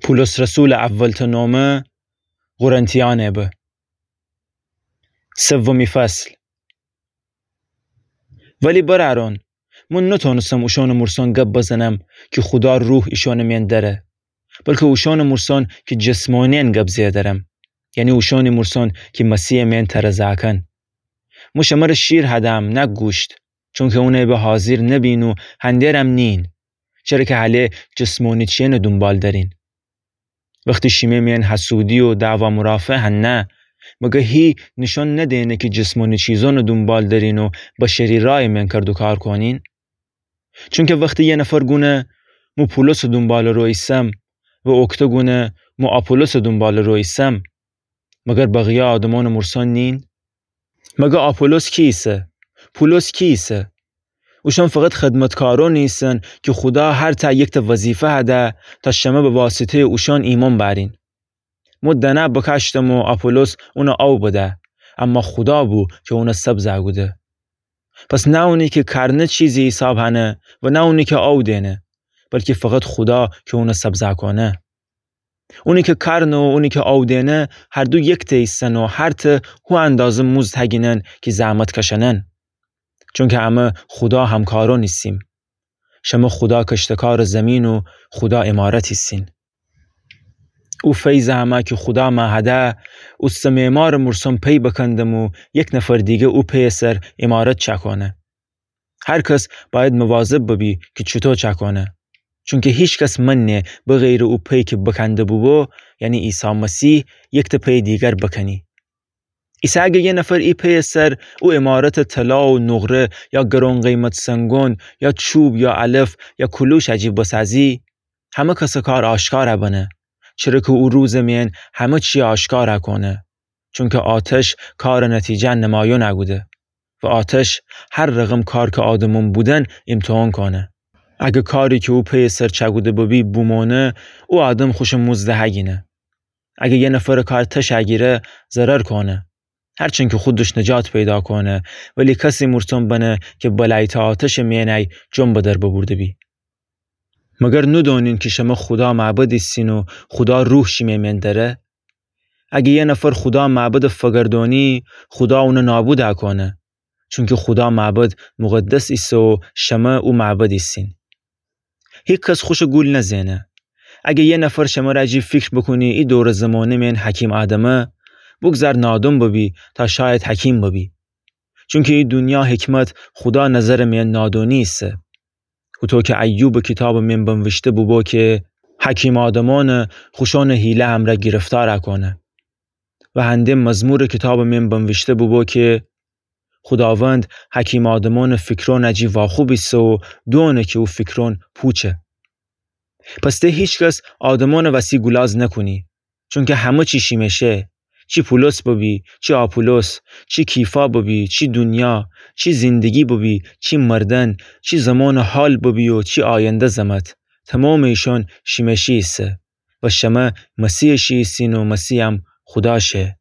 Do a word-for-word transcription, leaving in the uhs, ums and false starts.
پولس رسولٚ اول‌تأ نامه قرنتیأنٚ به. سومی فصل. ولی برأرأن، من نتأنستم اوشأنٚ مورسأن گب بزنم کی خودا روح ایشأنٚ مئن دأره، بلکه اوشأنٚ مورسأن کی جسمانی‌یأن گب زئیه درم، یعنی اوشأنٚ مورسأن کی مسیحٚ مئن ترزه کن. مو شمره شیر هدم، نه گوشت، چونکه اونٚ به حاضیر نبین و هندرم نیین، چره کی هله جسمانی چی‌یأنٚ دونبال درین. وختی شیمه مئن حسودی و دعوا مرافعه هنه، مگر هی نیشأن ندینه کی جسمانی چیزأنٚ دونبال درین و بشری رأیٚ مئن کردوکار کونین؟ چونکه وختی یه نفر گونه مو پولسٚ دونبالٚ رو ایسم و اوکته گونه مو آپولوسٚ دونبالٚ رو ایسم، مگر بقیه آدمأنٚ مورسأن نیین؟ مگر آپولوس کی ایسه؟ پولس کی ایسه؟ اوشأن فقط خدمتکارأنی ایسن کی خودا هر تأ یکتأ وظیفه هده تا شمه به واسطه‌یٚ اوشأن ایمأن بأرین. مو دنه بکاشتم و آپولوس اون آو بده، اما خودا بو کی اون سبزه کوده. پس نه اونی کی کارنه چیزی حیساب هنه و نه اونی کی آو دینه، بلکی فقط خودا کی اون سبزه کونه. اونی کی کارنه و اونی کی آو دینه هر دو یکتأ ایسن و هر تأ هو اندازه موزد هگینن کی زحمت کشنن. چونکه امه خودا همکارأن ایسیم. شمه خودا کشتکارٚ زیمین و خودا عمارت ایسین. او فیضٚ امه کی خودا مه هده، اوسه معمارٚ مورسأن پی بکندم و یک نفر دیگه او پیٚ سر عمارت چأکونه. هر کس بأید مواظب ببی کی چوطو چأکونه. چونکه هیکس منه بغیرٚ او پیٚ کی بکنده بوبو، یعنی عیسی مسیح، یکتأ پیٚ دیگر بکنی. ایسه اگه یه نفر ای پیٚ سر او عمارتٚ طلا و نقره یا گرون قیمت سنگون یا چوب یا علف یا کلوش اجی بسازی، همه کسٚ کار آشکار بنه، چره کی او روزٚ مئن همه چی آشکار کونه. چونکه آتش کارٚ نتیجه نمایان کوده و آتش هر رقم کار کی آدمأن بودن ایمتحان کونه. اگه کاری کی او پیٚ سر چأکوده ببی بومونه، او آدم خوشٚ موزد هگینه. اگه یه نفرٚ کار تش اگیره، ضرر کونه. هرچند کی خودش نجات پیدا کونه، ولی کسی مورسأن بنه کی بلأیتٚ آتشٚ مئنی جان بدر ببورده بی. مگر ندونین کی شمه خودا معبد ایسین و خودا روح شیمه مئن دره؟ اگه یه نفر خودا معبدٚ فگردونی، خودا اون نابود کونه. چونکی خودا معبد مقدس ایسه و شمه او معبد ایسین. هیکس خوشٚ گول نزنه. اگه یه نفر شمره اجی فیکر بکونی ای دورٚ زمانه مئن حکیم آدمه، بوگذار نادان ببی تا شاید حکیم ببی. چونکی ای دونیا حکمت خودا نظرٚ مئن نادانی ایسه. هوطو کی ایوبٚ کیتابٚ مئن بنویشته بوبو کی حکیم آدمأن خوشأنٚ حیله امرأ گرفتار کونه. و هنده مزمورٚ کیتابٚ مئن بنویشته بوبو کی خوداوند حکیم آدمأنٚ فیکرأن اجی واخوب ایسه و دونه کی او فیکرأن پوچه. پس ته هیکس آدمأنٚ وسی گولاز نکونی، چونکی همه چی شیمه شه، چی پولس ببی، چی آپولوس، چی کیفا ببی، چی دونیا، چی زندگی ببی، چی مردن، چی زمانٚ حال ببی و چی آینده زمت، تومامٚ ایشأن شیمه شی ایسه. و شمه مسیحٚ شی ایسین و مسیحم خودا شه.